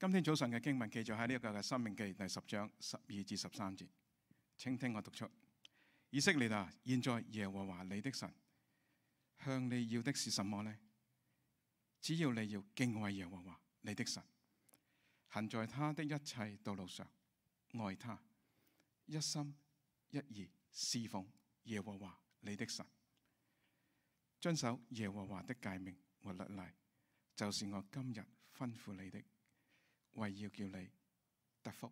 今天早上嘅經文記載喺呢一個嘅《申命記》第10章12至13節，請聽我讀出：以色列啊，現在耶和華你的神向你要的是什麼呢？只要你要敬畏耶和華你的神，行在他的一切道路上，愛他，一心一意侍奉耶和華你的神，遵守耶和華的誡命和律例，就是我今日吩咐你的，為要叫你得福。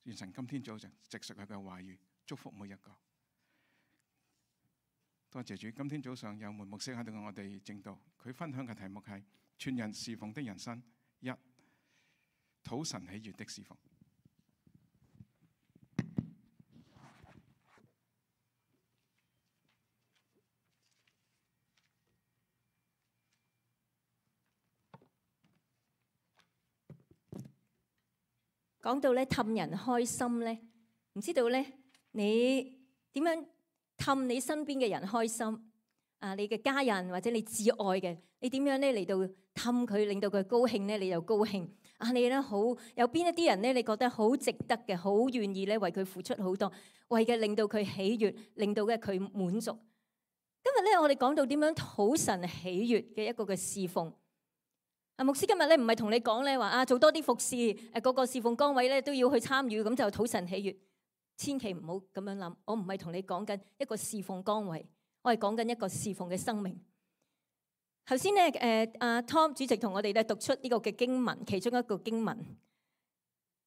願神今天早上藉著佢嘅話語祝福每一個。多謝主，今天早上有門牧師喺度我哋正道，佢分享嘅題目係全人侍奉的人生1，討神喜悅的侍奉。講到咧氹人開心咧，唔知道咧你點樣氹你身邊嘅人開心啊？你嘅家人或者你至愛嘅，你點樣咧嚟到氹佢，令到佢高興咧，你就高興啊！你咧好有邊一啲人咧，你覺得好值得嘅，好願意咧為佢付出好多，為嘅令到佢喜悅，令到嘅佢滿足。今日咧我哋講到點樣討神喜悅嘅一個嘅侍奉。牧師今日咧唔係同你講咧話做多啲服侍，個個侍奉崗位咧都要去參與，咁就討神喜悅。千祈唔好咁樣諗，我唔係同你講緊一個侍奉崗位，我係講緊一個侍奉嘅生命。頭先咧Tom 主席同我哋咧讀出呢個嘅經文，其中一個經文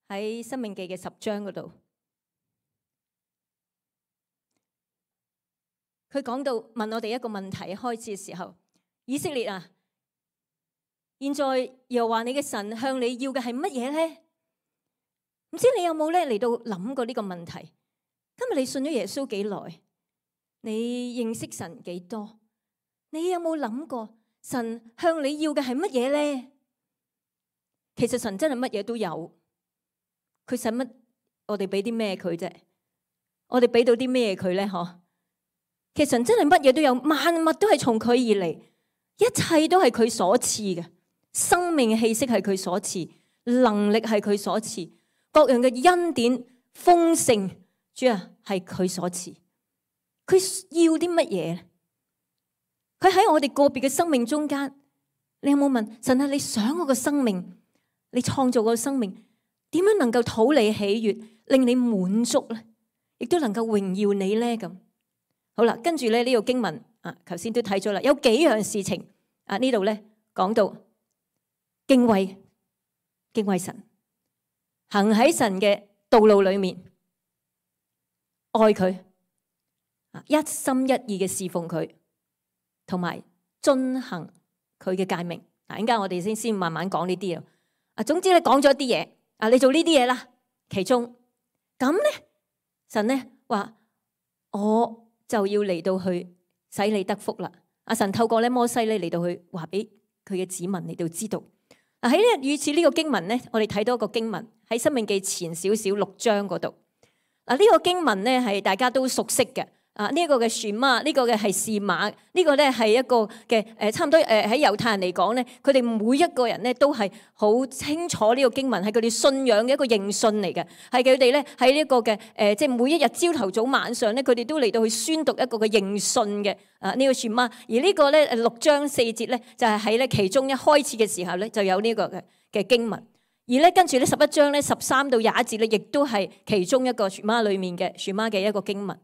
喺《申命記》嘅10章嗰度，佢講到問我哋一個問題，開始嘅時候，以色列啊，現在又話你嘅神向你要嘅係乜嘢咧？唔知你有冇咧嚟到諗過呢個問題？今日你信咗耶穌幾耐？你認識神幾多？你有冇諗過神向你要嘅係乜嘢咧？其實神真係乜嘢都有，佢使乜我哋俾啲咩佢啫？我哋俾到啲咩佢咧？嗬？其實神真係乜嘢都有，萬物都係從佢而嚟，一切都係佢所賜嘅。生命氣息係佢所賜，能力係佢所賜，各樣嘅恩典豐盛，主啊係佢所賜。佢要啲乜嘢？佢喺我哋個別嘅生命中間，你有冇問神啊？你想我個生命，你創造個生命，點樣能夠討你喜悅，令你滿足咧？亦都能夠榮耀你咧？咁好啦，跟住咧呢個經文頭先都睇咗啦，有幾樣事情呢度咧講到。敬畏神，行喺神嘅道路裏面，愛佢，一心一意嘅侍奉佢，同埋遵行佢嘅誡命。嗱，陣間我哋先慢慢講呢啲啊。總之咧講咗一啲嘢，你做呢啲嘢啦，其中咁咧，神咧話我就要嚟到去使你得福啦。神透過咧摩西咧嚟到去話俾佢嘅子民嚟到知道。喺呢與此呢個經文咧，我哋睇到一個經文喺《申命記》前少少6章嗰度。呢個經文咧係大家都熟悉嘅。呢一個嘅選馬，呢個嘅係示瑪，呢個咧係一個嘅差唔多喺猶太人嚟講咧，佢哋每一個人咧都係好清楚呢個經文係佢哋信仰嘅一個認信嚟嘅，係佢哋咧喺呢一個嘅即係每一日朝頭早晚上咧，佢哋都嚟到去宣讀一個嘅認信嘅呢個選馬。而呢個咧6章4節咧就係喺咧其中一開始嘅時候咧就有呢個嘅經文。而咧跟住咧11章咧13到21節咧，亦都係其中一個選馬裡面嘅選馬嘅一個經文。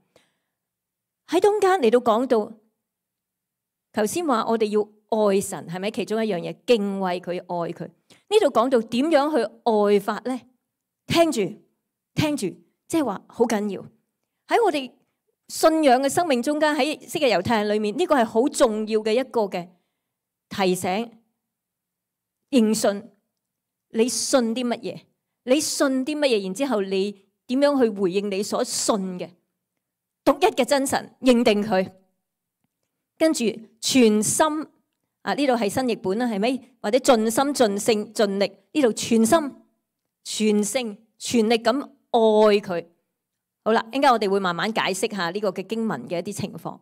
喺中間嚟到講到，頭先話我哋要愛神，係咪其中一樣嘢？敬畏佢，愛佢。呢度講到點樣去愛法咧？聽住，即係話好緊要。喺我哋信仰嘅生命中間，喺昔日猶太人裏面，呢個係好重要嘅一個嘅提醒。認信，你信啲乜嘢？你信啲乜嘢？然之後你點樣去回應你所信嘅？獨一嘅真神，認定佢，跟住全心呢度係新譯本啦，係咪？或者盡心盡性盡力，呢度全心全性全力咁愛佢。好啦，陣間我哋會慢慢解釋下呢個嘅經文嘅一啲情況。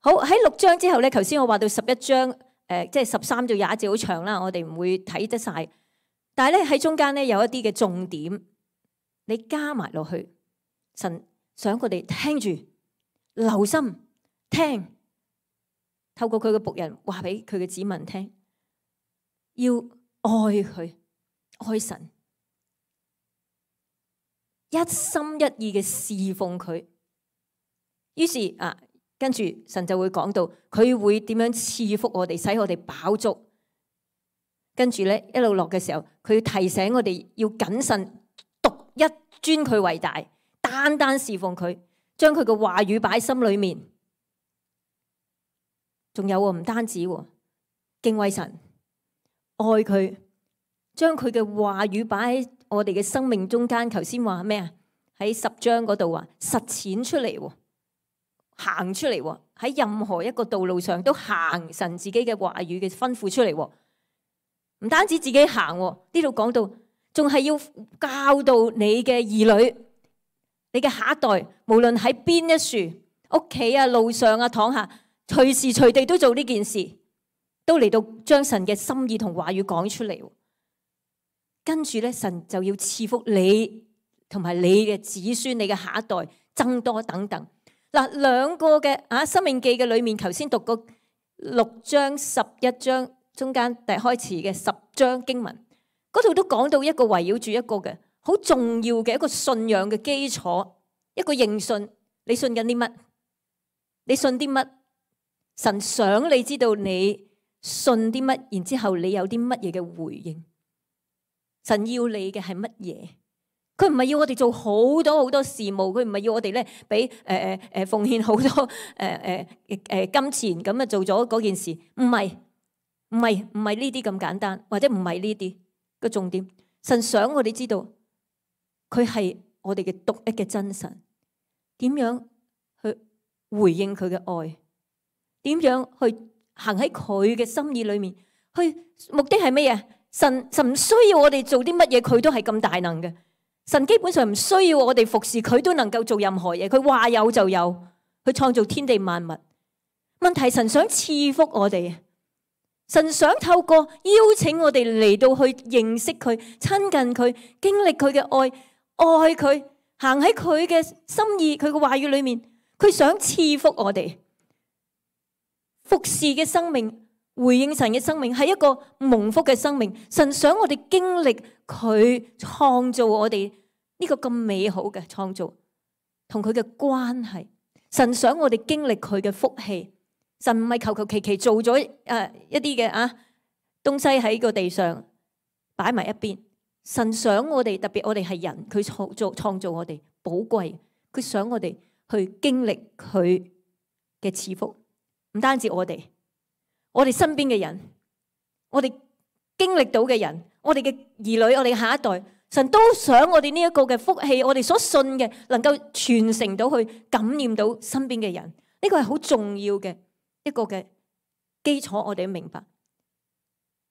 好，喺6章之後咧，頭先我話到11章即係13到21節好長啦，我哋唔會睇得晒。但係咧喺中間咧有一啲嘅重點，你加埋落去，神想佢哋聽住、留心聽，透過佢嘅僕人話俾佢嘅子民聽，要愛佢、愛神，一心一意嘅侍奉佢。於是跟住神就會講到，佢會點樣賜福我哋，使我哋飽足。跟住咧一路落嘅時候，佢提醒我哋要謹慎，獨一尊佢為大，單單侍奉佢，將佢嘅話語擺喺心裏面。仲有唔單止敬畏神、愛佢，將佢嘅話語擺喺我哋嘅生命中間。頭先話咩啊？喺10章嗰度話實踐出嚟，行出嚟，喺任何一個道路上都行神自己嘅話語嘅吩咐出嚟。唔單止自己行，呢度講到仲係要教導你嘅兒女、你嘅下一代，無論喺邊一處、屋企啊、路上啊、躺下，隨時隨地都做呢件事，都嚟到將神嘅心意同話語講出嚟。跟住咧，神就要賜福你同埋你嘅子孫、你嘅下一代增多等等。嗱，兩個嘅申命記嘅裏面，頭先讀過6章、11章。中間第開始嘅10章經文，嗰度都講到一個圍繞住一個嘅好重要嘅一個信仰嘅基礎，一個認信。你信緊啲乜？你信啲乜？神想你知道你信啲乜，然之後你有啲乜嘢嘅回應。神要你嘅係乜嘢？佢唔係要我哋做好多好多事務，佢唔係要我哋咧俾奉獻好多金錢咁啊做咗嗰件事，唔係。唔係呢啲咁簡單，或者唔係呢啲個重點。神想我哋知道，佢係我哋嘅獨一嘅真神。點樣去回應佢嘅愛？點樣去行喺佢嘅心意裏面？目的係咩嘢？神唔需要我哋做啲乜嘢，佢都係咁大能嘅。神基本上唔需要我哋服侍佢，都能夠做任何嘢。佢話有就有，去創造天地萬物。問題神想賜福我哋。神想透過邀請我哋嚟到去認識佢、親近佢、經歷佢嘅愛佢，行喺佢嘅心意、佢嘅話語裏面。佢想賜福我哋，服侍嘅生命、回應神嘅生命係一個蒙福嘅生命。神想我哋經歷佢創造我哋呢個咁美好嘅創造，同佢嘅關係。神想我哋經歷佢嘅福氣。神唔係求求其其做咗一啲嘅東西喺個地上擺埋一邊。神想我哋，特別我哋係人，佢創造我哋寶貴，佢想我哋去經歷佢嘅賜福。唔單止我哋身邊嘅人，我哋經歷到嘅人，我哋嘅兒女，我哋嘅下一代，神都想我哋呢一個嘅福氣，我哋所信嘅能夠傳承到去，感染到身邊嘅人。呢個係好重要嘅一個嘅基礎，我哋要明白。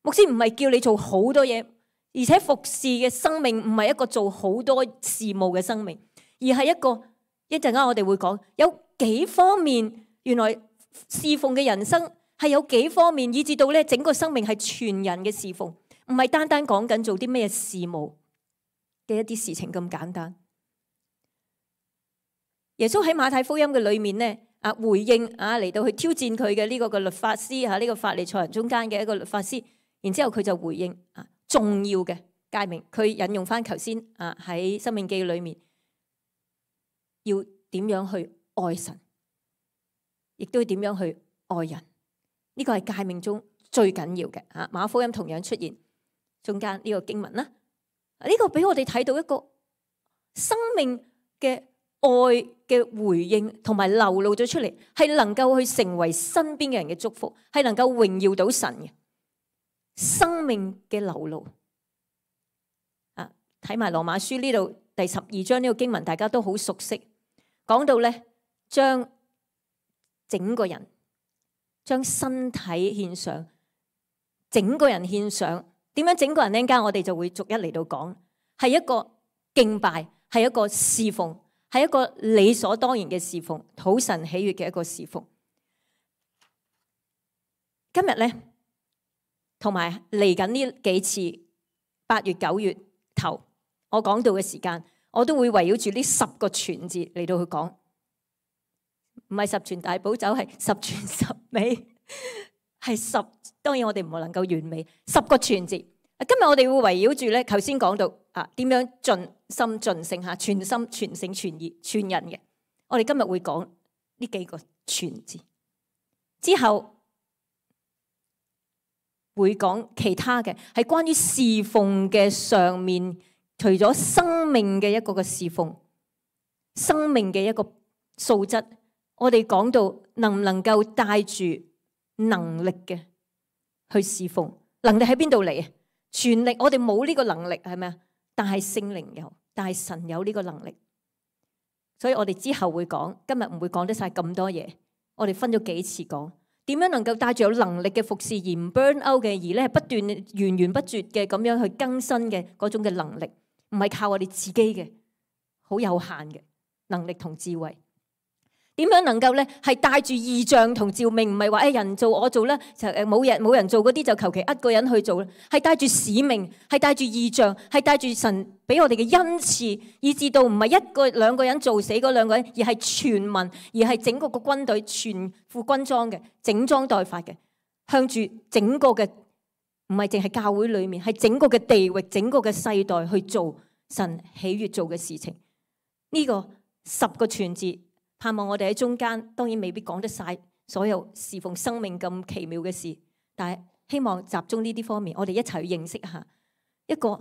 牧師唔係叫你做好多嘢，而且服侍嘅生命唔係一個做好多事務嘅生命，而係一陣間我哋會講有幾方面，原來侍奉嘅人生係有幾方面，以至到咧整個生命係全人嘅侍奉，唔係單單講緊做啲咩事務嘅一啲事情咁簡單。耶穌喺馬太福音嘅裏面咧，回應嚟到去挑戰佢嘅呢個嘅律法師呢個法利賽人中間嘅一個律法師，然之後佢就回應重要嘅誡命，佢引用翻頭先喺申命記裏面要點樣去愛神，亦都要點樣去愛人。呢個係誡命中最緊要嘅。馬可福音同樣出現中間呢個經文啦。呢個俾我哋睇到一個生命嘅愛嘅回應，同埋流露咗出嚟，係能夠去成為身邊嘅人嘅祝福，係能夠榮耀到神嘅生命嘅流露。睇埋羅馬書呢度第12章呢個經文，大家都好熟悉，講到咧將整個人、將身體獻上，整個人獻上。點樣整個人呢？陣間我哋就會逐一嚟到講，係一個敬拜，係一個侍奉，係一個理所當然嘅侍奉，討神喜悅嘅一個侍奉。今日咧，同埋嚟緊呢幾次8月9月頭我講到嘅時間，我都會圍繞住呢10個全字嚟到去講，唔係十全大補酒，係十全十美，係10。當然我哋唔能夠完美，10個全字。今日我哋會圍繞住咧，頭先講到點樣盡心盡性嚇，全心全性全意全人嘅。我哋今日會講呢幾個全字，之後會講其他嘅，係關於侍奉嘅上面，除咗生命嘅一個嘅侍奉，生命嘅一個素質，我哋講到能唔能夠帶住能力嘅去侍奉，能力喺邊度嚟啊？全力，我哋冇呢個能力係咪啊？但係聖靈有，但係神有呢個能力，所以我哋之後會講，今日唔會講得晒咁多嘢，我哋分咗幾次講，點樣能夠帶住有能力嘅服侍而唔 burn out 嘅，而咧係不斷源源不絕嘅咁樣去更新嘅嗰種嘅能力，唔係靠我哋自己嘅，好有限嘅能力同智慧。點樣能夠咧係帶住異象同召命，唔係話人做我做啦，就冇人做嗰啲就求其一個人去做啦，係帶住使命，係帶住異象，係帶住神俾我哋嘅恩賜，以至到唔係1個2個人做死嗰2個人，而係全民，而係整個個軍隊全副軍裝嘅，整裝待發嘅，向住整個嘅，唔係淨係教會裏面，係整個嘅地域，整個嘅世代去做神喜悅做嘅事情。呢個10個全字。盼望我哋喺中間，當然未必講得晒所有侍奉生命咁奇妙嘅事，但係希望集中呢啲方面，我哋一齊去認識一下一個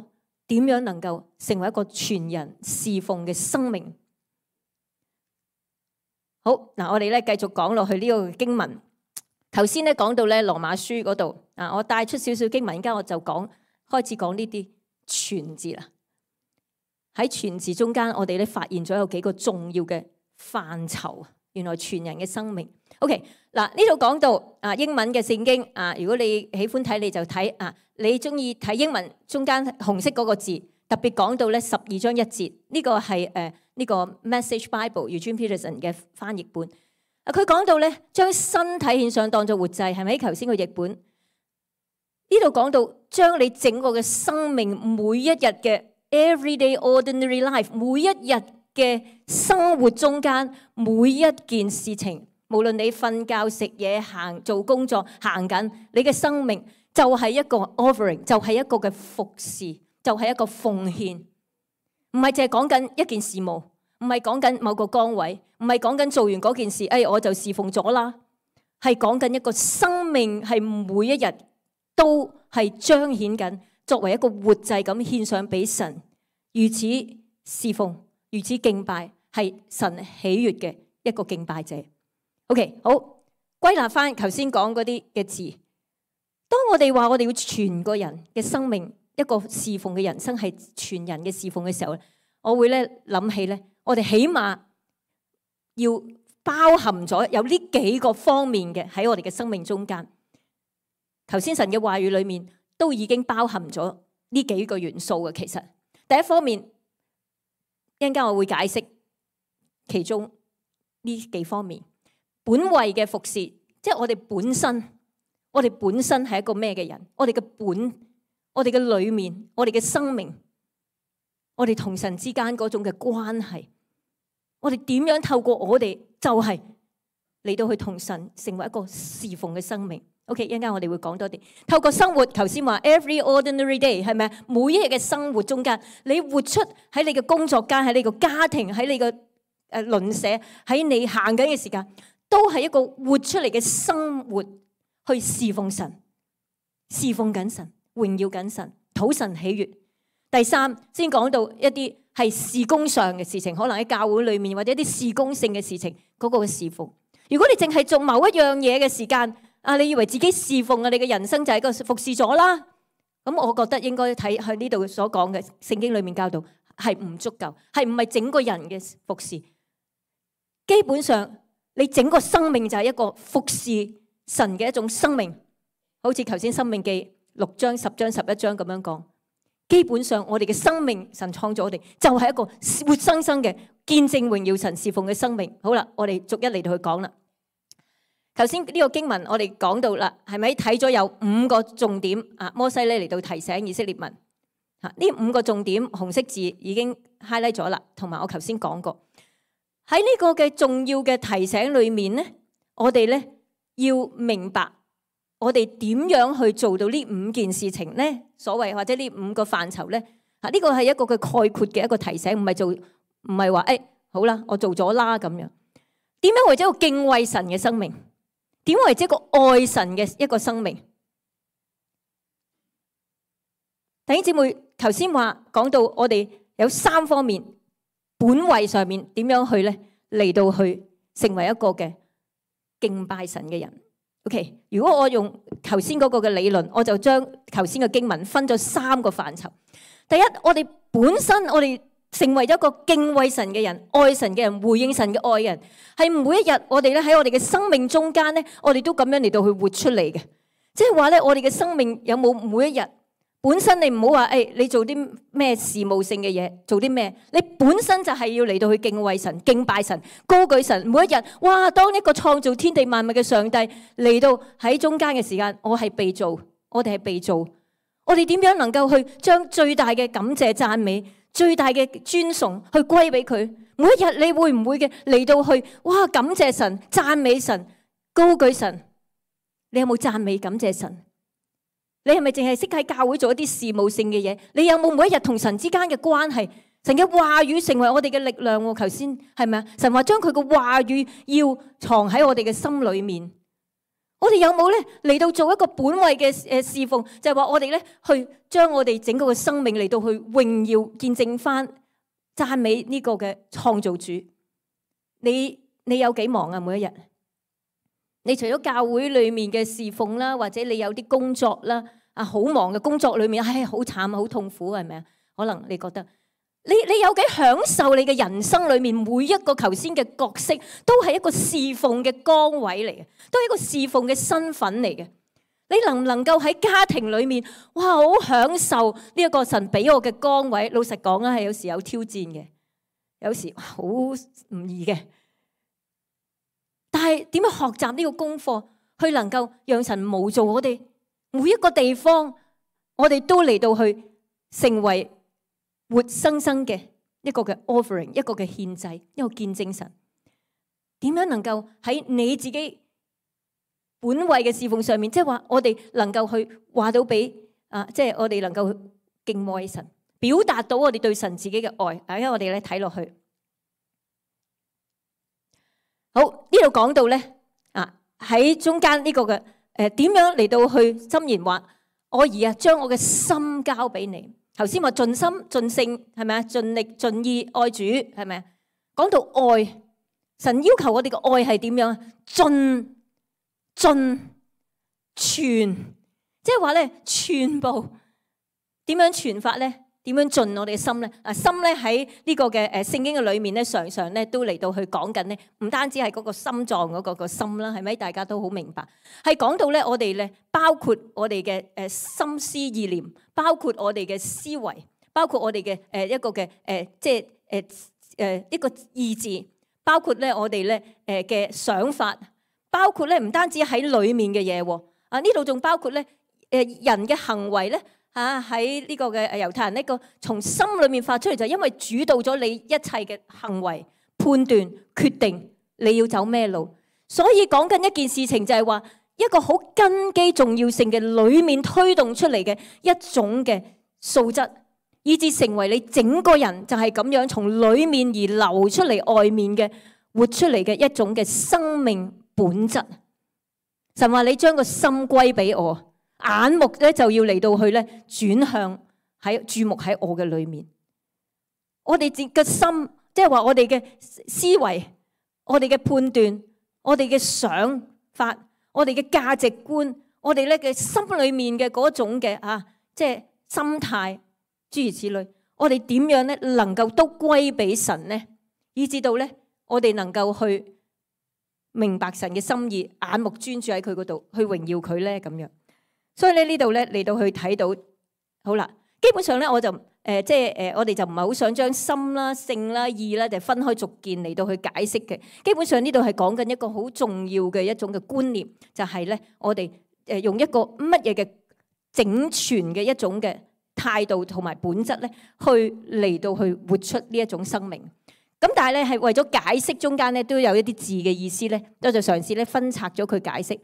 點樣能夠成為一個全人侍奉嘅生命。好，嗱，我哋咧繼續講落去呢個經文。頭先咧講到咧羅馬書嗰度，我帶出少少經文，而家我就開始講呢啲全字啦。喺全字中間，我哋咧發現咗有幾個重要嘅範疇，原來全人嘅生命。OK， 嗱，呢度講到英文嘅聖經如果你喜歡睇你就睇你中意睇英文中間紅色嗰個字，特別講到咧12章1節，呢個係呢個 Message Bible Eugene Peterson 嘅翻譯本。佢講到咧將身體獻上當作活祭，係咪？頭先個譯本呢度講到將你整個嘅生命每一日嘅 everyday ordinary life 每一日嘅生活中間每一件事情，無論你瞓覺、食嘢、行、做工作、行緊，你嘅生命就係一個 offering， 就係一個嘅服侍，就係一個奉獻，唔係淨係講緊一件事務，唔係講緊某個崗位，唔係講緊做完嗰件事，我就侍奉咗啦，係講緊一個生命係每一日都係彰顯緊，作為一個活祭咁獻上俾神，如此侍奉。如此敬拜係神喜悅嘅一個敬拜者。OK， 好，歸納翻頭先講嗰啲嘅字。當我哋話我哋要全個人嘅生命，一個侍奉嘅人生係全人嘅侍奉嘅時候咧，我會咧諗起咧，我哋起碼要包含咗有呢幾個方面嘅喺我哋嘅生命中間。頭先神嘅話語裏面都已經包含咗呢幾個元素嘅。其實第一方面，一陣間我會解釋其中呢幾方面。本位嘅服侍，即係我哋本身係一個咩嘅人？我哋嘅我哋嘅裏面，我哋嘅生命，我哋同神之間嗰種嘅關係，我哋點樣透過我哋就係嚟到去同神成為一個侍奉嘅生命。OK， 一陣間我哋會講多啲。透過生活，頭先話 every ordinary day 係咪？每一日嘅生活中間，你活出喺你嘅工作間，喺你個家庭，喺你嘅鄰舍，喺你行緊嘅時間，都係一個活出嚟嘅生活，去侍奉神，侍奉緊神，榮耀緊神，討神喜悅。第三，先講到一啲係事工上嘅事情，可能喺教會裏面或者一啲事工性嘅事情，嗰個嘅侍奉。如果你淨係做某一樣嘢嘅時間，你以為自己侍奉你嘅人生就係個服侍咗啦？咁我覺得應該睇喺呢度所講嘅聖經裏面教導係唔足夠，係唔係整個人嘅服侍？基本上你整個生命就係一個服侍神嘅一種生命，好似頭先申命記6章、10章、11章咁樣講。基本上我哋嘅生命，神創造我哋就係一個活生生嘅見證榮耀神侍奉嘅生命。好啦，我哋逐一嚟到去講啦。頭先呢個經文我哋講到啦，係咪睇咗有5個重點？摩西咧嚟到提醒以色列民，嚇，呢5個重點紅色字已經 highlight 咗啦，同埋我頭先講過。喺呢個嘅重要嘅提醒裏面咧，我哋咧要明白我哋點樣去做到呢5件事情咧？所謂或者呢5個範疇咧，嚇，呢個係一個嘅概括嘅一個提醒，唔係話好啦，我做咗啦咁樣。點樣為咗一個敬畏神嘅生命？點為之一個愛神嘅一個生命？弟兄姊妹，頭先講到我哋有3方面，本位上面點樣去咧嚟到去成為一個嘅敬拜神嘅人。OK， 如果我用頭先嗰個嘅理論，我就將頭先嘅經文分咗3個範疇。第一，我哋本身我哋成為咗一個敬畏神嘅人、愛神嘅人、回應神嘅愛人，係每一日我哋咧喺我哋嘅生命中間咧，我哋都咁樣嚟到去活出嚟嘅。即係話咧，我哋嘅生命有冇每一日本身你唔好話你做啲咩事務性嘅嘢，做啲咩？你本身就係要嚟到去敬畏神、敬拜神、高舉神。每一日，哇！當一個創造天地萬物嘅上帝嚟到喺中間嘅時間，我係被造，我哋係被造。我哋點樣能夠去將最大嘅感謝、讚美、最大嘅尊崇去歸俾佢？每一日你會唔會嘅嚟到去？哇！感謝神、讚美神、高舉神。你有冇讚美感謝神？你係咪淨係識喺教會做一啲事務性嘅嘢？你有冇每一日同神之間嘅關係？神嘅話語成為我哋嘅力量。頭先係咪啊？神話將佢嘅話語要藏喺我哋嘅心裏面。我哋有冇咧嚟到做一個本位嘅侍奉？就係話我哋咧去將我哋整個嘅生命嚟到去榮耀見證翻讚美呢個嘅創造主。你有幾忙啊？每一日，你除咗教會裏面嘅侍奉啦，或者你有啲工作啦，好忙嘅工作裏面，好慘好痛苦，係咪啊？可能你覺得你有幾享受你嘅人生裏面每一個頭先嘅角色，都係一個侍奉嘅崗位嚟嘅，都係一個侍奉嘅身份嚟嘅。你能唔能夠喺家庭裏面，哇，好享受呢一個神俾我嘅崗位？老實講啊，係有時有挑戰嘅，有時好唔易嘅。但係點樣學習呢個功課，去能夠讓神模造我哋每一個地方，我哋都嚟到去成為活生生嘅一個嘅 offering， 一個嘅獻祭，一個見證神。點樣能夠喺你自己本位嘅侍奉上面，即係話我哋能夠去話到俾即係我哋能夠敬畏神，表達到我哋對神自己嘅愛。因為我哋咧睇落去。好，呢度講到咧喺中間呢個嘅點樣嚟到去箴言話，我兒啊，將我嘅心交俾你。頭先話盡心盡性係咪啊？盡力盡意愛主係咪啊？講到愛，神要求我哋嘅愛係點樣啊？盡全，即係話咧全部點樣全法咧？點樣盡我哋嘅心咧？心咧喺呢個嘅聖經嘅裏面咧，常常咧都嚟到去講緊咧，唔單止係嗰個心臟嗰個心啦，係咪？大家都好明白，係講到咧我哋咧，包括我哋嘅心思意念，包括我哋嘅思維，包括我哋嘅一個嘅即係一個意志，包括咧我哋咧嘅想法，包括咧唔單止喺裏面嘅嘢喎，呢度仲包括咧人嘅行為咧。喺呢個嘅猶太人呢個從心裏面發出嚟，就因為主導咗你一切嘅行為、判斷、決定你要走咩路，所以講緊一件事情就係話一個好根基重要性嘅裏面推動出嚟嘅一種嘅素質，以至成為你整個人就係咁樣從裏面而流出嚟外面嘅活出嚟嘅一種嘅生命本質。神話你將個心歸俾我。眼目咧就要嚟到去咧轉向喺注目喺我嘅裏面，我哋嘅心，即係話我哋嘅思維、我哋嘅判斷、我哋嘅想法、我哋嘅價值觀、我哋咧嘅心裏面嘅嗰種嘅即係心態，諸如此類，我哋點樣咧能夠都歸俾神呢？以至到咧我哋能夠去明白神嘅心意，眼目專注喺佢嗰度，去榮耀佢咧咁樣。所以咧呢度咧嚟到去睇到，好啦，基本上咧我就即係我哋就唔係好想將心啦、性啦、意啦就分開逐件嚟到去解釋嘅。基本上呢度係講緊一個好重要嘅一種嘅觀念，就係咧我哋用一個乜嘢嘅整全嘅一種嘅態度同埋本質咧，去嚟到去活出呢一種生命。咁但係咧係為咗解釋中間咧都有一啲字嘅意思咧，我就嘗試咧分拆咗佢解釋，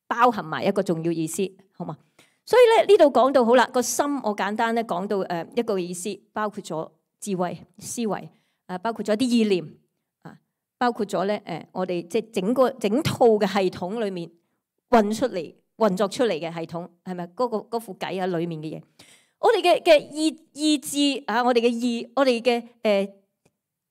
包含埋一個重要意思，好嘛？所以咧呢度講到好啦，個心我簡單咧講到一個意思，包括咗智慧、思維，包括咗一啲意念，包括咗咧我哋即係整套嘅系統裏面運作出嚟嘅系統，係咪嗰副計啊裏面嘅嘢？我哋嘅意志啊，我哋嘅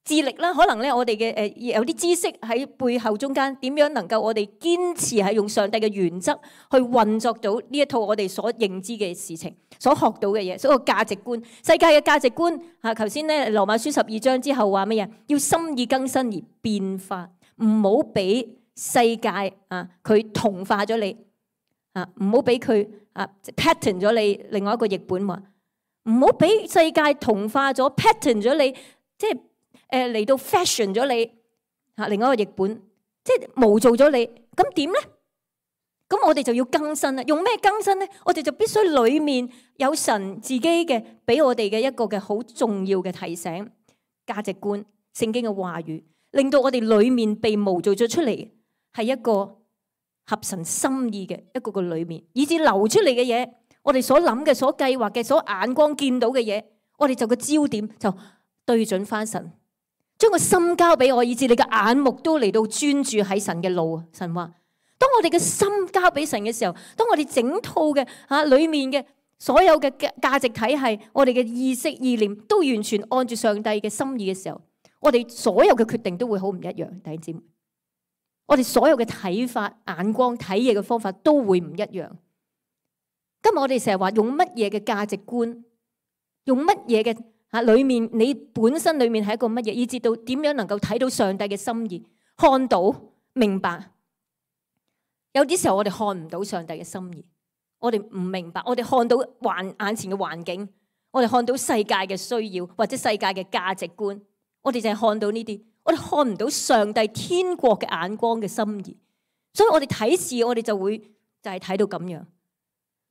智力啦，可能咧我哋嘅有啲知識喺背後中間，點樣能夠我哋堅持係用上帝嘅原則去運作到呢一套我哋所認知嘅事情，所學到嘅嘢，所有價值觀、世界嘅價值觀嚇。頭先咧羅馬書12章之後話乜嘢？要心意更新而變化，唔好俾世界佢同化咗你唔好俾佢pattern 咗你。另外一個譯本話，唔好俾世界同化咗 pattern 咗你，即係嚟到 fashion 咗你另外一個譯本，即係模造咗你。咁點咧？咁我哋就要更新啦。用咩更新咧？我哋就必須裏面有神自己嘅俾我哋嘅一個嘅好重要嘅提醒、價值觀、聖經嘅話語，令到我哋裏面被模造咗出嚟，係一個合神心意嘅一個個裏面，以至流出嚟嘅嘢，我哋所諗嘅、所計劃嘅、所眼光見到嘅嘢，我哋就個焦點就對準翻神。將個心交俾我，以至你嘅眼目都嚟到專注喺神嘅路。神話，當我哋嘅心交俾神嘅時候，當我哋整套嘅裏面嘅所有嘅價值體系，我哋嘅意識意念都完全按住上帝嘅心意嘅時候，我哋所有嘅決定都會好唔一樣。弟兄姊妹，我哋所有嘅睇法、眼光、睇嘢嘅方法都會唔一樣。今日我哋成日話用乜嘢嘅價值觀，用乜嘢嘅裏面，你本身裏面係一個乜嘢，以至到點樣能夠睇到上帝嘅心意，看到明白。有啲時候我哋看唔到上帝嘅心意，我哋唔明白，我哋看到眼前嘅環境，我哋看到世界嘅需要或者世界嘅價值觀，我哋淨係看到呢啲，我哋看唔到上帝天國嘅眼光嘅心意。所以我哋睇事，我哋就會就係睇到咁樣。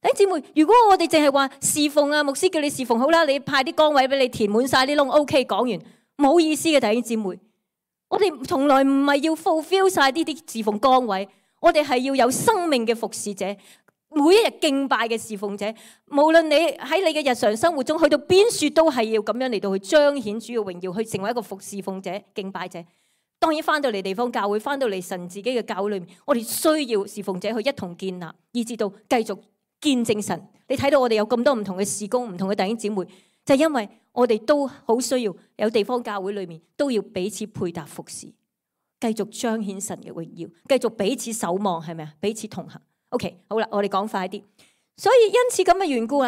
弟兄姊妹，如果我哋淨係話侍奉牧師叫你侍奉好啦，你派啲崗位俾你填滿晒啲窿 ，OK， 講完冇意思嘅。弟兄姊妹，我哋從來唔係要 fulfill 晒呢啲侍奉崗位，我哋係要有生命嘅服侍者，每一日敬拜嘅侍奉者。無論你喺你嘅日常生活中去到邊處，都係要咁樣嚟到去彰顯主嘅榮耀，去成為一個侍奉者、敬拜者。當然翻到嚟地方教會，翻到嚟神自己嘅教會裏面，我哋需要侍奉者去一同建立，以至到繼續見證神。你睇到我哋有咁多唔同嘅事工，唔同嘅弟兄姊妹，就係因為我哋都好需要有地方教會裏面都要彼此配搭服侍，繼續彰顯神嘅榮耀，繼續彼此守望，係咪啊？彼此同行。OK， 好啦，我哋講快啲。所以因此咁嘅緣故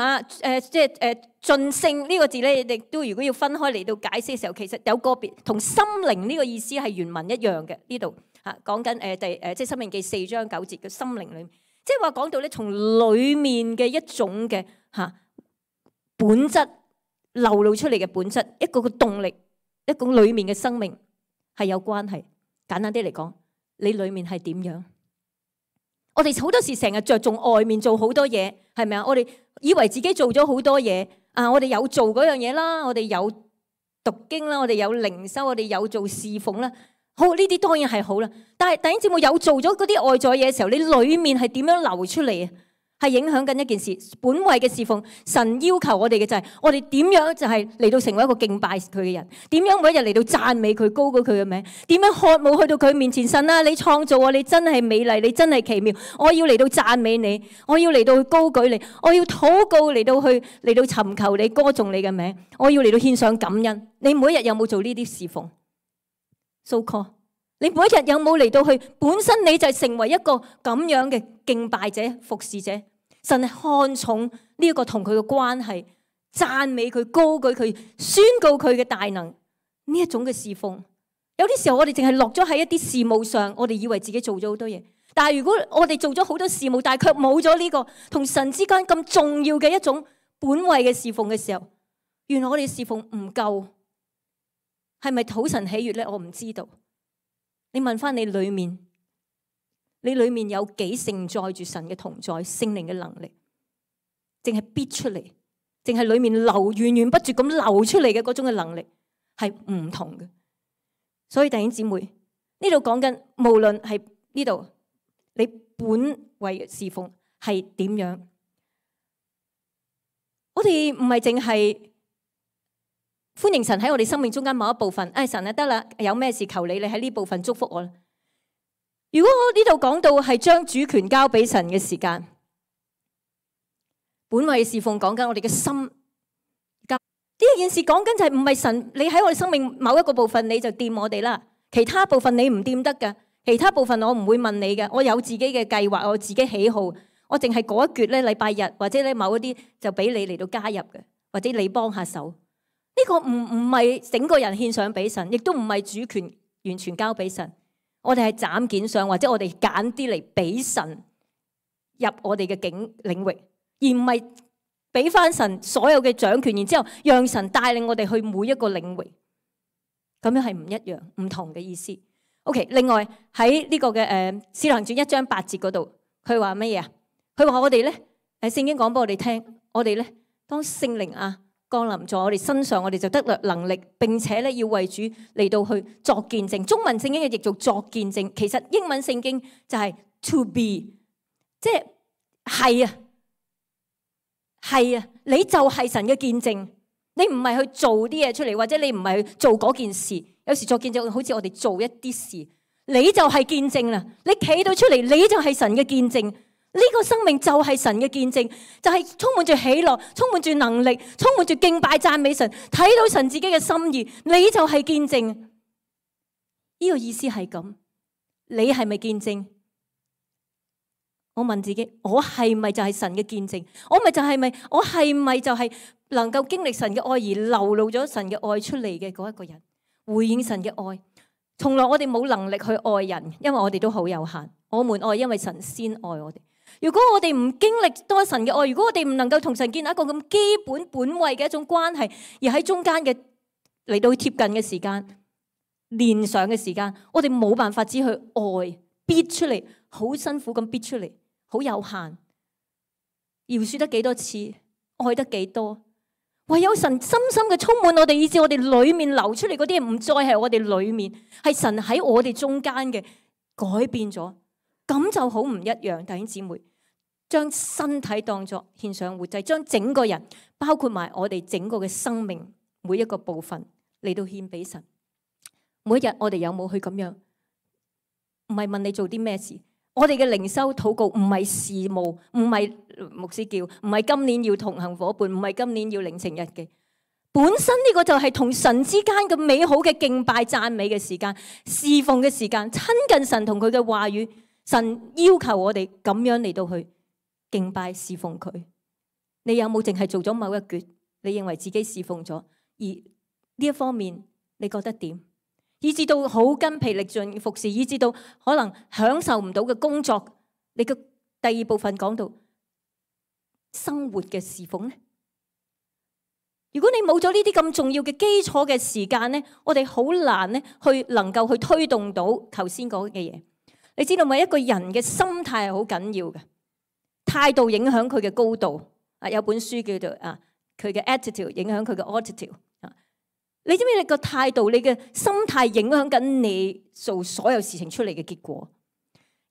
即係盡性呢個字咧，亦都如果要分開嚟到解釋嘅時候，其實有個別同心靈呢個意思係原文一樣嘅。呢度講緊即係申命記4章9節嘅心靈裏面。即係話講到咧，從裏面嘅一種嘅本質流露出嚟嘅本質，一個個動力，一個裏面嘅生命係有關係。簡單啲嚟講，你裏面係點樣？我哋好多時成日着重外面做好多嘢，係咪啊？我哋以為自己做咗好多嘢我哋有做嗰樣嘢啦，我哋有讀經啦，我哋有靈修，我哋有做侍奉啦。好，呢啲當然係好啦，但係弟兄姊妹有做咗嗰啲外在嘢嘅時候，你裏面係點樣流出嚟啊？係影響緊一件事，本位嘅侍奉。神要求我哋嘅就係，我哋點樣就係嚟到成為一個敬拜佢嘅人，點樣每一日嚟到讚美佢，高舉佢嘅名，點樣渴慕去到佢面前。神啊，你創造我，你真係美麗，你真係奇妙，我要嚟到讚美你，我要嚟到去高舉你，我要禱告嚟到尋求你，歌頌你嘅名，我要嚟到獻上感恩。你每一日有冇做呢啲侍奉？So call， 你每一日有冇嚟到去？本身你就係成為一個咁樣嘅敬拜者、服侍者。神係看重呢一個同佢嘅關係，讚美佢、高舉佢、宣告佢嘅大能呢一種嘅侍奉。有啲時候我哋淨係落咗喺一啲事務上，我哋以為自己做咗好多嘢。但係如果我哋做咗好多事務，但係卻冇咗呢個同神之間咁重要嘅一種本位嘅侍奉嘅時候，原來我哋侍奉唔夠。係咪討神喜悅咧？我唔知道。你問翻你裏面，你裏面有幾承載住神嘅同在、聖靈嘅能力，淨係逼出嚟，淨係裏面源源不絕咁流出嚟嘅嗰種嘅能力係唔同嘅。所以弟兄姊妹，呢度講緊無論係呢度你本位侍奉係點樣，我哋唔係淨係歡迎神喺我哋生命中間某一部分，神啊，得啦，有咩事求你喺呢部分祝福我啦。如果我呢度講到係將主權交俾神嘅時間，本位侍奉講緊我哋嘅心，呢件事講緊就係唔係神你喺我哋生命某一個部分你就掂我哋啦，其他部分你唔掂得噶，其他部分我唔會問你嘅，我有自己嘅計劃，我自己喜好，我淨係嗰一橛咧禮拜日或者咧某一啲就俾你嚟到加入嘅，或者你幫下手。呢個唔係整個人獻上俾神，亦都唔係主權完全交俾神。我哋係斬件上，或者我哋揀啲嚟俾神入我哋嘅領域，而唔係俾翻神所有嘅掌權，然之後讓神帶領我哋去每一個領域。咁樣係唔一樣、唔同嘅意思。OK， 另外喺呢個嘅使徒行傳1章8節嗰度，佢話乜嘢啊？佢話我哋咧，聖經講俾我哋聽，我哋咧當聖靈降臨在我哋身上，我哋就得能力，並且咧要為主嚟到去作見證。中文聖經嘅譯做作見證，其實英文聖經就係 to be， 即係係啊，你就係神嘅見證。你唔係去做啲嘢出嚟，或者你唔係去做嗰件事。有時作見證好似我哋做一啲事，你就係見證啦。你企到出嚟，你就係神嘅見證。呢個生命就係神嘅見證，就係充滿住喜樂，充滿住能力，充滿住敬拜讚美神，睇到神自己嘅心意，你就係見證。呢個意思係咁，你係咪見證？我問自己，我係咪就係神嘅見證？我係咪就係能夠經歷神嘅愛而流露咗神嘅愛出嚟嘅嗰一個人？回應神嘅愛，從來我哋冇能力去愛人，因為我哋都好有限。我們愛，因為神先愛我哋。如果我哋唔經歷多神嘅愛，如果我哋唔能夠同神建立一個咁基本位嘅一種關係，而喺中間嘅嚟到貼近嘅時間、連上嘅時間，我哋冇辦法只去愛，逼出嚟，好辛苦咁逼出嚟，好有限。饒恕得幾多次，愛得幾多，唯有神深深嘅充滿我哋，以致我哋裏面流出嚟嗰啲唔再係我哋裏面，係神喺我哋中間嘅改變咗。咁就好唔一樣，弟兄姊妹，將身體當作獻上活祭，將整個人包括埋我哋整個嘅生命每一個部分嚟到獻俾神。每一日我哋有冇去咁樣？唔係問你做啲咩事，我哋嘅靈修禱告唔係事務，唔係牧師叫，唔係今年要同行夥伴，唔係今年要領情日記。本身呢個就係同神之間嘅美好嘅敬拜讚美嘅時間，侍奉嘅時間，親近神同佢嘅話語。神要求我哋咁樣嚟到去敬拜侍奉佢。你有冇淨係做咗某一橛？你認為自己侍奉咗，而呢一方面你覺得點？以至到好筋疲力盡服侍，以至到可能享受唔到嘅工作。你嘅第二部分講到生活嘅侍奉咧，如果你冇咗呢啲咁重要嘅基礎嘅時間咧，我哋好難咧去能夠去推動到頭先講嘅嘢。你知道咪？一個人嘅心態係好緊要嘅，態度影響佢嘅高度。有本書叫做佢嘅 attitude 影響佢嘅 altitude。你知唔知你個態度、你嘅心態影響緊你做所有事情出嚟嘅結果？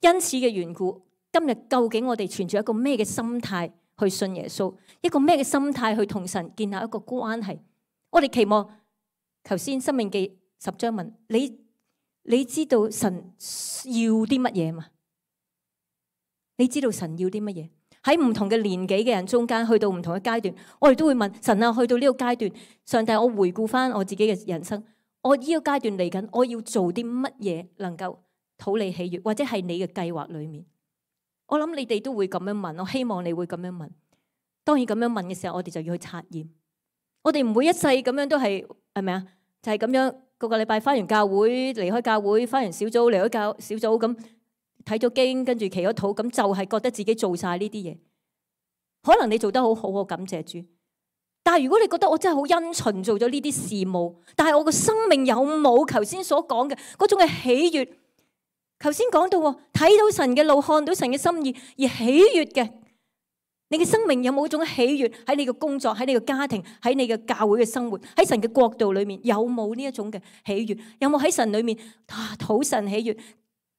因此嘅緣故，今日究竟我哋存住一個咩嘅心態去信耶穌？一個咩嘅心態去同神建立一個關係？我哋期望頭先申命記10章問你知道神要啲乜嘢嘛？你知道神要啲乜嘢？喺唔同嘅年紀嘅人中間，去到唔同嘅階段，我哋都會問神啊，去到呢個階段，上帝，我回顧翻我自己嘅人生，我呢個階段嚟緊，我要做啲乜嘢能夠討你喜悅，或者係你嘅計劃裏面？我諗你哋都會咁樣問，我希望你會咁樣問。當然咁樣問嘅時候，我哋就要去察驗。我哋唔會一世咁樣都係咪啊？就係咁樣。個禮拜翻完教會，離開教會，翻完小組，離開小組咁睇咗經，跟住祈咗禱，咁就係覺得自己做晒呢啲嘢。可能你做得好好，我感謝主。但係如果你覺得我真係好殷勤做咗呢啲事務，但係我個生命有冇頭先所講嘅嗰種嘅喜悅？頭先講到睇到神嘅路，看到神嘅心意而喜悅嘅你嘅生命有冇一種喜悅喺你嘅工作、喺你嘅家庭、喺你嘅教會嘅生活、喺神嘅國度裏面，有冇呢一種嘅喜悅？有冇喺神裏面討神喜悅、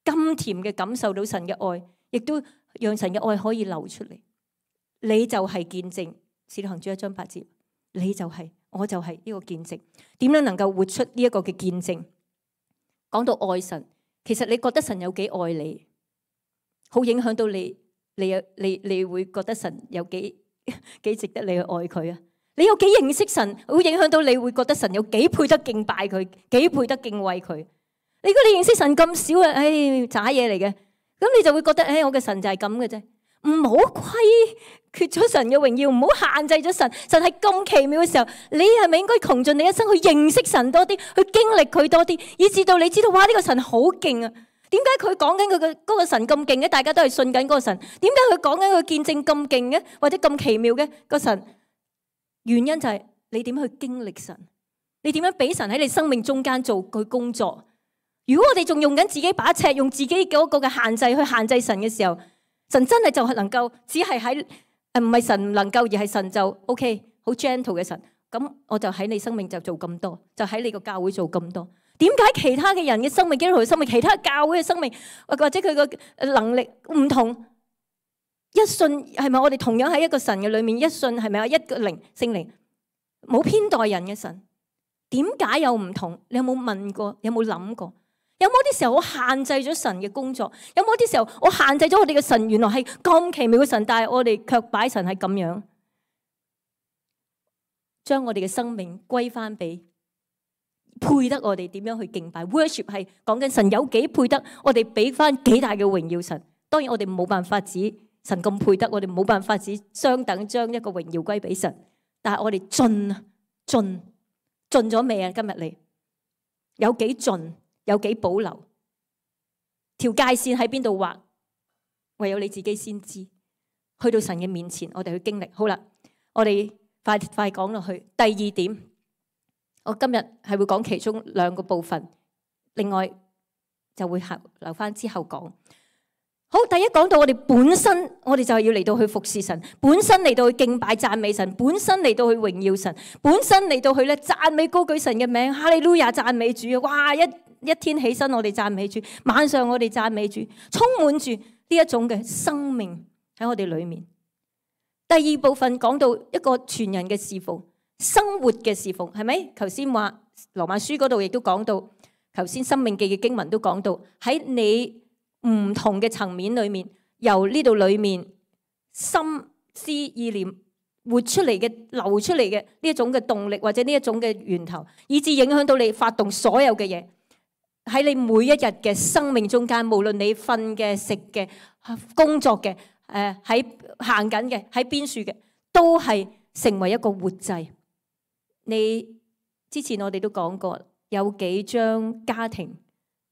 甘甜嘅感受到神嘅愛，亦都讓神嘅愛可以流出嚟？你就係見證，使徒行傳1章8節，你就係，我就係呢個見證。點樣能夠活出呢一個嘅見證？講到愛神，其實你覺得神有幾愛你，好影響到你。你會覺得神有幾值得你去愛佢啊？你有幾認識神，會影響到你會覺得神有幾配得敬拜佢，幾配得敬畏佢。如果你認識神咁少啊，渣嘢嚟嘅，咁你就會覺得我嘅神就係咁嘅啫。唔好虧缺咗神嘅榮耀，唔好限制咗神。神係咁奇妙嘅時候，你係咪應該窮盡你一生去認識神多啲，去經歷佢多啲，以至到你知道哇，呢個神好勁啊！點解佢講緊佢嘅嗰個神咁勁嘅？大家都係信緊嗰個神。點解佢講緊佢見證咁勁嘅，或者咁奇妙嘅個神？原因就係你點去經歷神，你點樣俾神喺你生命中間做佢工作。如果我哋仲用緊自己把尺，用自己嗰個嘅限制去限制神嘅時候，神真係就係能夠只係喺唔係神唔能夠，而係神就 OK 好 gentle 嘅神。咁我就喺你生命就做咁多，就喺你個教會做咁多。點解其他嘅人嘅生命、基督徒嘅生命、其他教會嘅生命，或者佢個能力唔同？一信係咪我哋同樣喺一個神嘅裏面？一信係咪一個靈聖靈冇偏待人嘅神？點解有唔同？你有冇問過？有冇諗過？有冇啲時候我限制咗神嘅工作？有冇啲時候我限制咗我哋嘅神？原來係咁奇妙嘅神，但係我哋卻擺神係咁樣，將我哋嘅生命歸翻俾配得我哋點樣去敬拜。Worship 係講緊神有幾配得，我哋俾翻幾大嘅榮耀神。當然我哋冇辦法指神咁配得，我哋冇辦法指相等將一個榮耀歸俾神。但係我哋盡咗未啊？今日你有幾盡？有幾保留？條界線喺邊度畫？唯有你自己先知。去到神嘅面前，我哋去經歷。好啦，我哋快講落去。第二點，我今日係會講其中2個部分，另外就會留翻之後講。好，第一講到我哋本身，我哋就係要嚟到去服侍神，本身嚟到去敬拜讚美神，本身嚟到去榮耀神，本身嚟到去咧讚美高舉神嘅名，哈利路亞讚美主啊！哇，一天起身我哋讚美主，晚上我哋讚美主，充滿住呢一種嘅生命喺我哋裏面。第二部分講到一個全人嘅侍奉，生活嘅侍奉，係咪？頭先話羅馬書嗰度亦都講到，頭先申命記嘅經文都講到，喺你唔同嘅層面裏面，由呢度裏面心思意念活出嚟嘅、流出嚟嘅呢一種嘅動力，或者呢一種嘅源頭，以致影響到你發動所有嘅嘢喺你每一日嘅生命中間，無論你瞓嘅、食嘅、工作嘅、喺行緊嘅、喺邊處嘅，都係成為一個活祭。你之前我哋都講過，有幾張家庭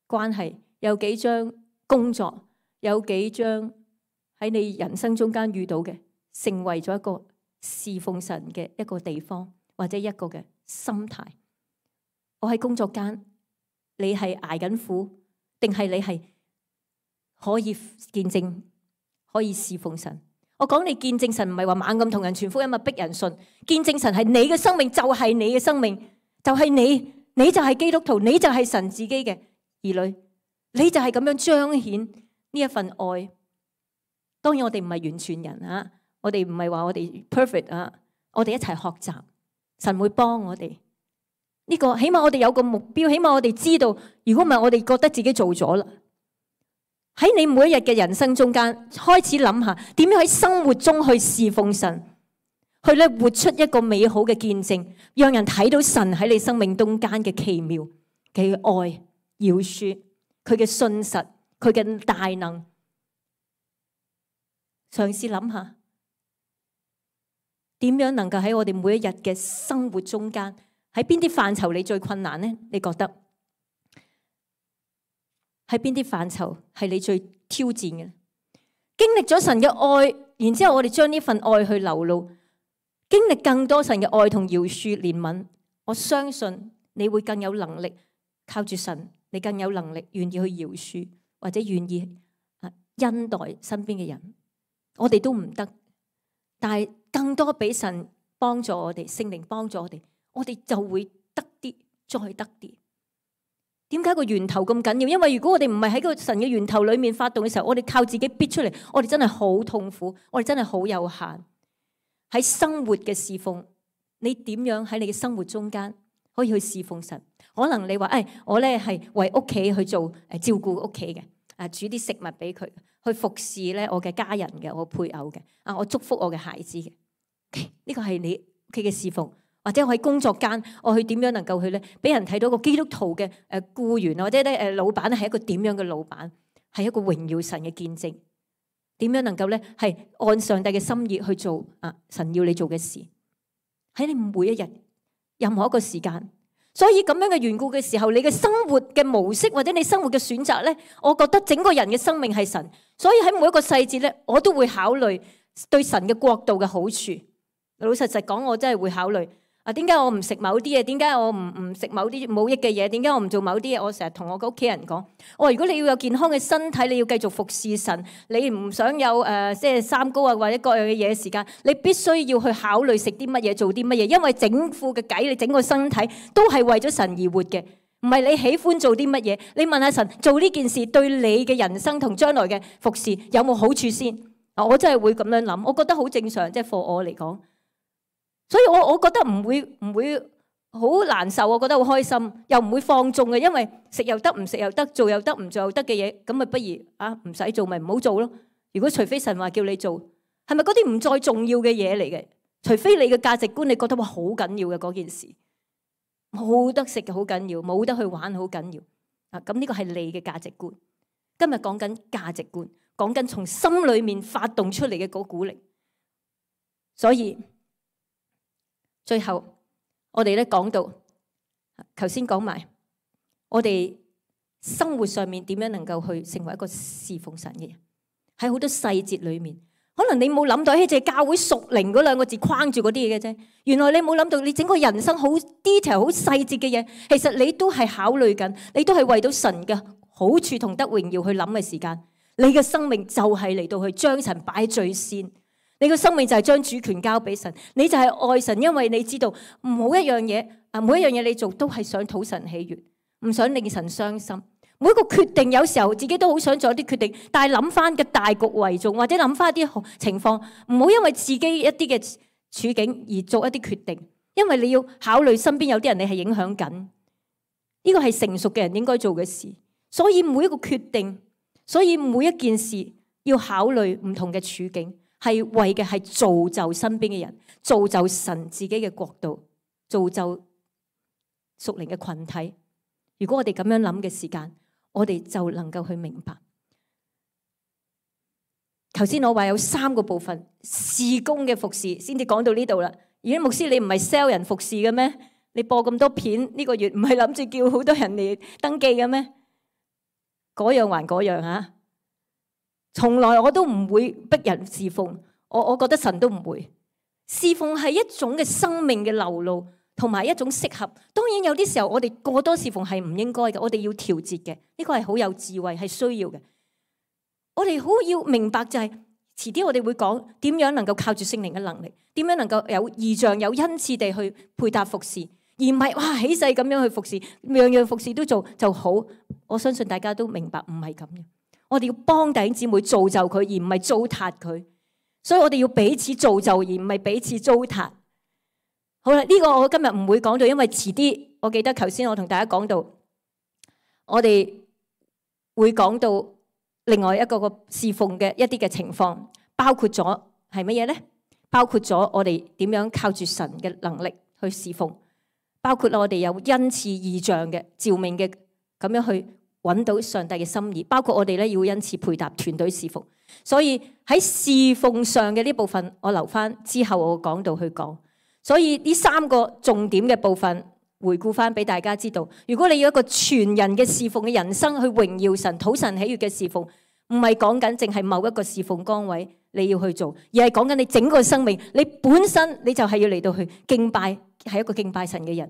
關係，有幾張工作，有幾張喺你人生中間遇到嘅，成為咗一個侍奉神嘅一個地方，或者一個嘅心態。我喺工作間，你係捱緊苦，定係你係可以見證，可以侍奉神？我講你見證神，唔係話猛咁同人傳福音啊，逼人信。見證神係你嘅生命，就係你嘅生命，就係你就係基督徒，你就係神自己嘅兒女。你就係咁樣彰顯呢一份愛。當然我哋唔係完全人啊，我哋唔係話我哋 perfect 啊，我哋一齊學習，神會幫我哋。呢個起碼我哋有個目標，起碼我哋知道，如果唔係我哋覺得自己做咗啦。喺你每一日嘅人生中間，開始諗下點樣喺生活中去侍奉神，去咧活出一個美好嘅見證，讓人睇到神喺你生命中間嘅奇妙嘅愛、饒恕。佢嘅信實，佢嘅大能，嘗試諗下點樣能夠喺我哋每一日嘅生活中間，喺邊啲範疇你最困難呢？你覺得喺邊啲範疇係你最挑戰嘅？經歷咗神嘅愛，然之後我哋將呢份愛去流露，經歷更多神嘅愛同饒恕憐憫，我相信你會更有能力靠住神。你更有能力願意去饒恕，或者願意恩待身邊嘅人。我哋都唔得，但係更多俾神幫助我哋，聖靈幫助我哋就會得啲，再得啲。點解個源頭咁緊要？因為如果我哋唔係喺個神嘅源頭裏面發動嘅時候，我哋靠自己逼出嚟，我哋真係好痛苦，我哋真係好有限。喺生活嘅侍奉，你點樣喺你嘅生活中間可以去侍奉神？可能你話我咧係為屋企去做照顧屋企嘅，煮啲食物俾佢，去服侍咧我嘅家人嘅，我配偶嘅，我祝福我嘅孩子嘅。呢個係你屋企嘅侍奉。或者我喺工作間，我去點樣能夠去咧，俾人睇到個基督徒嘅僱員，或者咧老闆係一個點樣嘅老闆，係一個榮耀神嘅見證。點樣能夠咧係按上帝嘅心意去做神要你做嘅事，喺你每一日任何一個時間。所以咁樣嘅緣故嘅時候，你嘅生活嘅模式或者你生活嘅選擇咧，我覺得整個人嘅生命係神。所以喺每一個細節咧，我都會考慮對神嘅國度嘅好處。老實講，我真係會考慮。點解我唔食某啲嘢？點解我唔食某啲冇益嘅嘢？點解我唔做某啲嘢？我成日同我嘅屋企人講，如果你要有健康嘅身體，你要繼續服侍神，你唔想有即係三高或者各樣嘅嘢嘅時間，你必須要去考慮食啲乜嘢，做啲乜嘢，因為整副嘅計，你整個身體都係為咗神而活嘅，唔係你喜歡做啲乜嘢。你問下神，做呢件事對你嘅人生同將來嘅服侍有冇好處先？我真係會咁樣諗，我覺得好正常，即係for我嚟講。所以我覺得唔會好難受，我覺得好開心，又唔會放縱嘅，因為食又得，唔食又得，做又得，唔做又得嘅嘢，咁咪不如唔使做咪唔好做咯。如果除非神話叫你做，係咪嗰啲唔再重要嘅嘢嚟嘅？除非你嘅價值觀你覺得好緊要嘅嗰件事，冇得食嘅好緊要，冇得去玩好緊要咁呢個係你嘅價值觀。今日講緊價值觀，講緊從心裏面發動出嚟嘅嗰股力。所以最後我哋咧講到，頭先講埋我哋生活上面點樣能夠去成為一個侍奉神嘅人，喺好多細節裏面，可能你冇諗到，淨係教會屬靈嗰兩個字框住嗰啲嘢嘅啫。原來你冇諗到，你整個人生好 detail、好細節嘅嘢，其實你都係考慮緊，你都係為到神嘅好處同得榮耀去諗嘅時間。你嘅生命就係嚟到去將神擺最先。你個生命就係將主權交俾神，你就係愛神，因為你知道每一樣嘢你做都係想討神喜悅，唔想令神傷心。每一個決定有時候自己都好想做一啲決定，但係諗翻嘅大局為重，或者諗翻一啲情況，唔好因為自己一啲嘅處境而做一啲決定，因為你要考慮身邊有啲人你係影響緊，呢個係成熟嘅人應該做嘅事。所以每一個決定，所以每一件事要考慮唔同嘅處境。係為嘅係造就身邊嘅人，造就神自己嘅國度，造就屬靈嘅群體。如果我哋咁樣諗嘅時間，我哋就能夠去明白。頭先我話有3個部分，事工嘅服侍先至講到呢度啦。而家牧師，你唔係 sell 人服侍嘅咩？你播咁多片呢個月，唔係諗住叫好多人嚟登記嘅咩？嗰樣還嗰樣啊！從來我都唔會逼人侍奉，我覺得神都唔會。侍奉係一種嘅生命嘅流露，同埋一種適合。當然有啲時候我哋過多侍奉係唔應該嘅，我哋要調節嘅，呢個係好有智慧，係需要嘅。我哋好要明白就係，遲啲我哋會講點樣能夠靠住聖靈嘅能力，點樣能夠有異象、有恩賜地去配搭服侍，而唔係哇起勢咁樣去服侍，樣樣服侍都做就好。我相信大家都明白唔係咁嘅。我哋要幫弟兄姊妹造就佢，而唔係糟蹋佢。所以我哋要彼此造就，而唔係彼此糟蹋。好啦，呢個我今日唔會講到，因為遲啲我記得頭先我同大家講到，我哋會講到另外一個侍奉嘅一啲嘅情況，包括咗係乜嘢呢？包括咗我哋點樣靠住神嘅能力去侍奉，包括我哋有恩賜異象嘅召命嘅咁樣去揾到上帝嘅心意，包括我哋咧要恩賜配搭團隊侍奉。所以喺侍奉上嘅呢部分，我留翻之後我講到去講。所以呢3個重點嘅部分，回顧翻俾大家知道。如果你要一個全人嘅侍奉嘅人生去榮耀神、討神喜悅嘅侍奉，唔係講緊淨係某一個侍奉崗位你要去做，而係講緊你整個生命，你本身你就係要嚟到去敬拜，係一個敬拜神嘅人。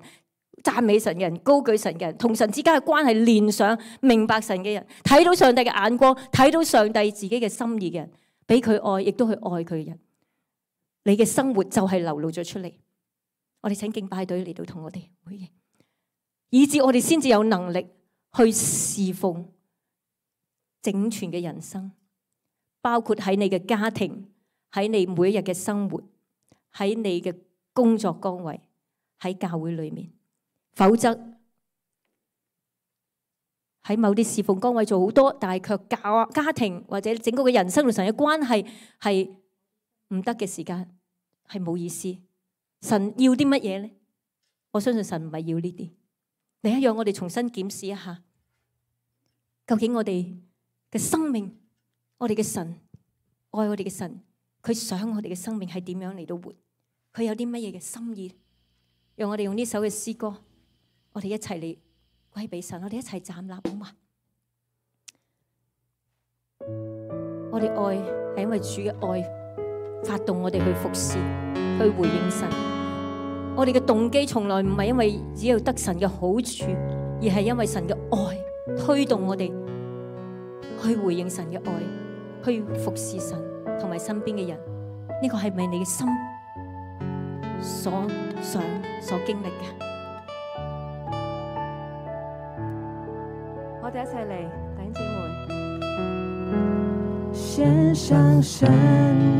讚美神嘅人，高舉神嘅人，同神之間嘅關係連上，明白神嘅人，睇到上帝嘅眼光，睇到上帝自己嘅心意嘅人，俾佢愛，亦都去愛佢嘅人。你嘅生活就係流露咗出嚟。我哋請敬拜隊嚟到同我哋回應，以致我哋先至有能力去侍奉整全嘅人生，包括喺你嘅家庭，喺你每一日嘅生活，喺你嘅工作崗位，喺教會裏面。否則喺某啲侍奉崗位做好多，但係卻家庭或者整個嘅人生同神嘅關係係唔得嘅時間，係冇意思。神要啲乜嘢呢？我相信神唔係要呢啲。另一樣，我哋重新檢視一下，究竟我哋嘅生命，我哋嘅神愛我哋嘅神，佢想我哋嘅生命係點樣嚟到活？佢有啲乜嘢嘅心意？讓我哋用呢首嘅詩歌，我哋一齊嚟歸俾神，我哋一齊站立，好嘛？我哋愛係因為主嘅愛發動我哋去服侍，去回應神。我哋嘅動機從來唔係因為只有得神嘅好處，而係因為神嘅愛推動我哋去回應神嘅愛，去服侍神同埋身邊嘅人。呢個係咪你嘅心所想所經歷嘅？我哋一齊嚟，弟兄姊妹，獻上生命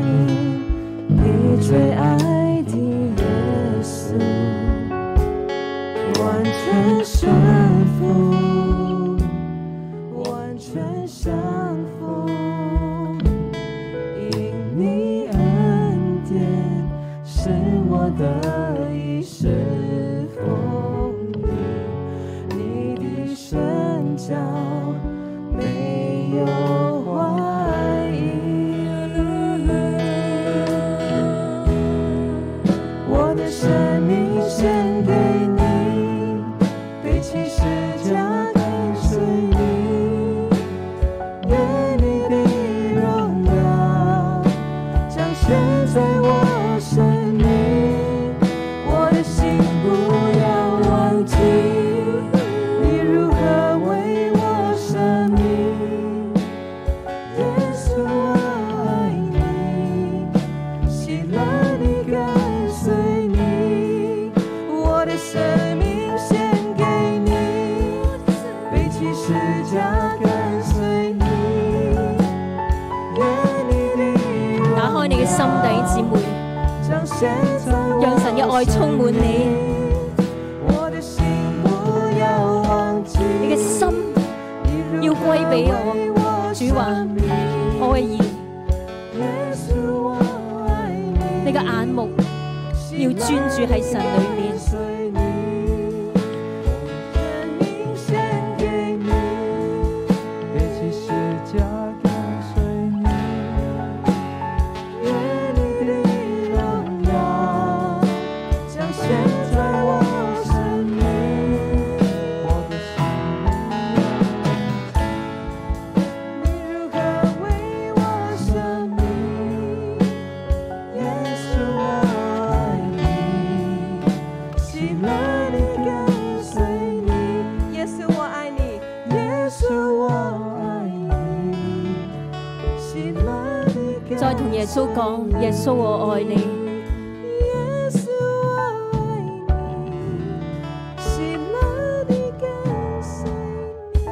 給最愛的耶穌，完全順服，完全降服，因你恩典是我得以侍奉你，你的身教沒有懷疑，我的生命獻給你，背起十架跟隨你，願你的榮耀彰顯在我生命，我的心不要忘記你如何為我捨命，耶穌我愛你，喜樂地跟隨你，我的生命獻給你，背起十架跟隨你，願你的打開你嘅心，弟兄姊妹，讓神嘅愛充滿你。你嘅心要歸俾我，主話我嘅兒，你嘅眼目要專注喺神裏面。再同耶穌講，耶穌我愛你，耶穌我愛你，喜樂地跟隨你。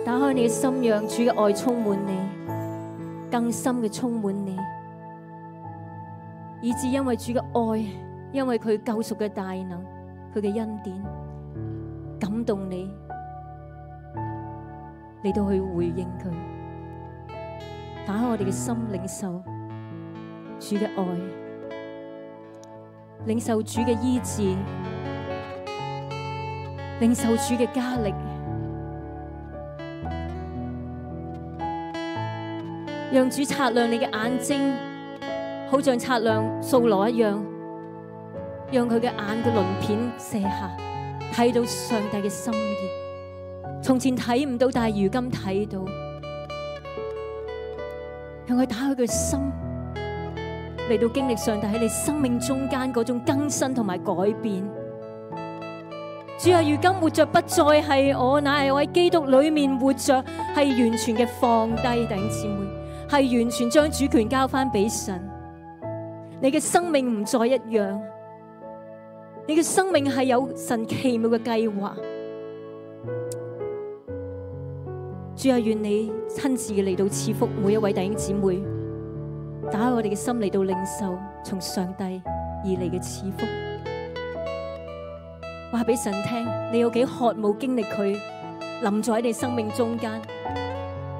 打開你嘅心，讓主嘅愛充滿你，更深嘅充滿你，以致因為主嘅愛，因為佢救贖嘅大能，佢嘅恩典感動你，嚟到去回應佢。打開我哋嘅心，領受主嘅愛，領受主嘅醫治，領受主嘅加力，讓主擦亮你嘅眼睛，好像擦亮掃羅一樣，讓佢嘅眼嘅鱗片卸下，睇到上帝嘅心意。從前睇唔到，但係如今睇到。讓佢打開佢心，嚟到經歷上帝喺你生命中間嗰種更新同埋改變。主啊，如今活着不再係我，乃係我喺基督裏面活着，係完全嘅放低，弟兄姊妹，係完全將主權交翻俾神。你嘅生命唔再一樣，你嘅生命係有神奇妙嘅計劃。主啊，願你親自嘅嚟到賜福每一位弟兄姊妹，打開我哋嘅心嚟到領受從上帝而嚟嘅賜福。話俾神聽，你有幾渴慕經歷佢臨在喺你生命中間。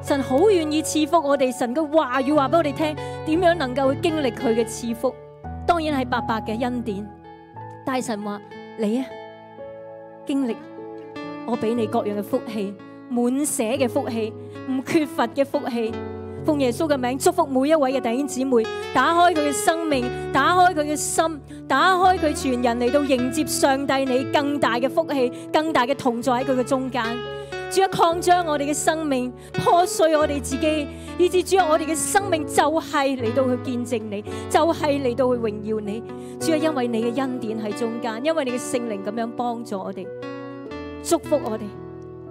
神好願意賜福我哋，神嘅話語話俾我哋聽，點樣能夠去經歷佢嘅賜福。當然係白白嘅恩典，但係神話你啊，經歷我俾你各樣嘅福氣，滿瀉嘅福氣，唔缺乏嘅福氣。奉耶穌嘅名祝福每一位嘅弟兄姊妹，打開佢嘅生命，打開佢嘅心，打開佢全人嚟到迎接上帝你更大嘅福氣，更大嘅同在喺佢嘅中間。主啊，擴張我哋嘅生命，破碎我哋自己，以致主啊，我哋嘅生命就係嚟到去見證你，就係嚟到去榮耀你。主啊，因為你嘅恩典喺中間，因為你嘅聖靈咁樣幫助我哋，祝福我哋，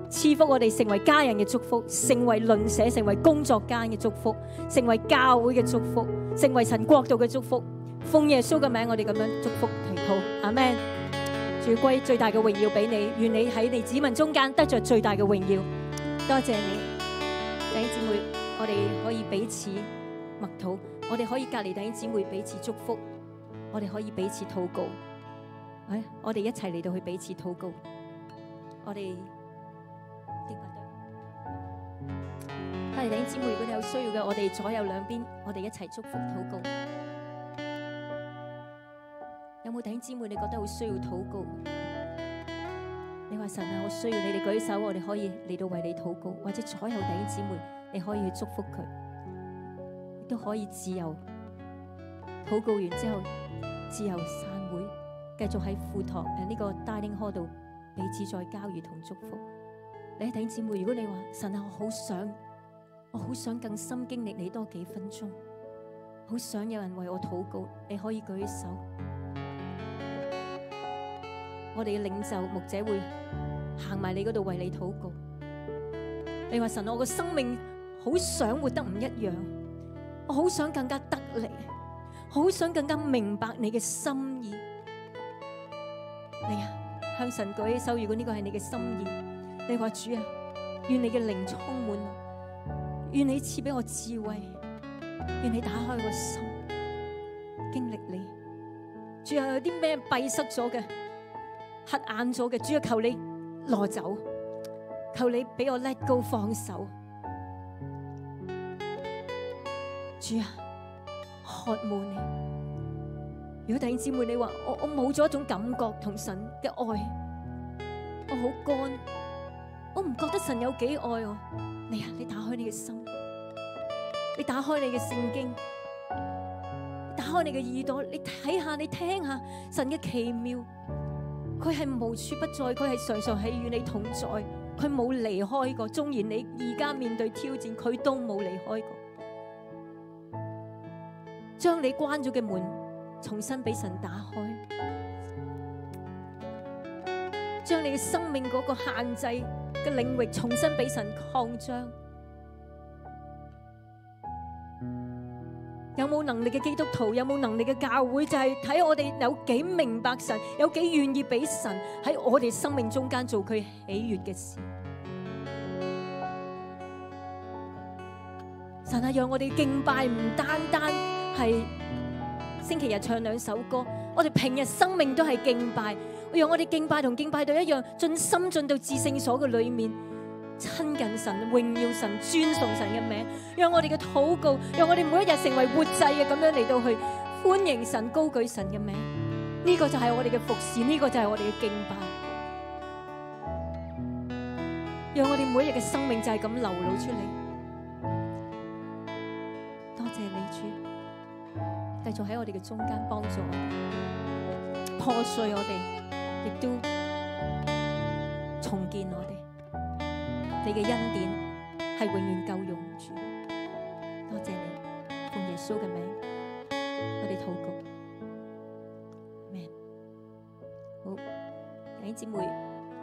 賜福我哋成為家人嘅祝福，成為鄰舍，成為工作間嘅祝福，成為教會嘅祝福，成為神國度嘅祝福。奉耶穌嘅名，我哋咁樣祝福祈禱，阿們。主歸最大嘅榮耀俾你，願你喺你子民中間得着最大嘅榮耀。多謝你，弟兄姊妹，我哋可以彼此默禱，我哋可以隔離弟兄姊妹彼此祝福，我哋可以彼此禱告。我哋一齊嚟到去彼此禱告。我哋敬拜隊，弟兄姊妹，如果你有需要嘅，我哋左右兩邊，我哋一齊祝福禱告。有冇弟兄姊妹你覺得好需要禱告？你話神啊，我需要你哋舉手，我哋可以嚟到為你禱告，或者左右弟兄姊妹，你可以去祝福佢，亦都可以自由禱告完之後自由散會，繼續喺副堂呢個 dining hall 度彼此再交誼同祝福。你弟兄姊妹，如果你話神啊，我好想更深經歷你多幾分鐘，好想有人為我禱告，你可以舉手。我哋嘅領袖牧者會行埋你嗰度為你禱告。你話神，我個生命好想活得唔一樣，我好想更加得力，好想更加明白你嘅心意。你啊，向神舉起手，如果呢個係你嘅心意，你話主啊，願你嘅靈充滿我，願你賜俾我智慧，願你打開我個心，經歷你。主啊，有啲咩閉塞咗嘅，黑眼咗嘅，主啊，求你攞走，求你俾我 let go 放手。主啊，渴慕你。如果弟兄姊妹你話我冇咗一種感覺同神嘅愛，我好乾，我唔覺得神有幾愛我。你啊，你打開你嘅心，你打開你嘅聖經，打開你嘅耳朵，你睇下，你聽下神嘅奇妙。佢係無處不在，佢係常常係與你同在，佢冇離開過。縱然你而家面對挑戰，佢都冇離開過。將你關咗嘅門重新俾神打開，將你嘅生命嗰個限制嘅領域重新俾神擴張。有冇能力嘅基督徒，有冇能力嘅教會，就係睇我哋有幾明白神，有幾願意俾神喺我哋生命中間做佢喜悅嘅事。神啊，讓我哋敬拜唔單單係星期日唱兩首歌，我哋平日生命都係敬拜。讓我哋敬拜同敬拜隊一樣，盡心進到至聖所嘅裏面，親近神、榮耀神、尊崇神嘅名，讓我哋嘅禱告，讓我哋每一日成為活祭嘅咁樣嚟到去歡迎神、高舉神嘅名。呢個就係我哋嘅服侍，呢個就係我哋嘅敬拜。讓我哋每一日嘅生命就係咁流露出嚟。多謝你主，繼續喺我哋嘅中間幫助我哋，破碎我哋，亦都重建我哋。你嘅恩典係永遠夠用住，多謝你，奉耶穌嘅名，我哋禱告，阿們。好，弟兄姊妹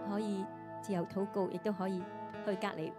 可以自由禱告，亦都可以去隔離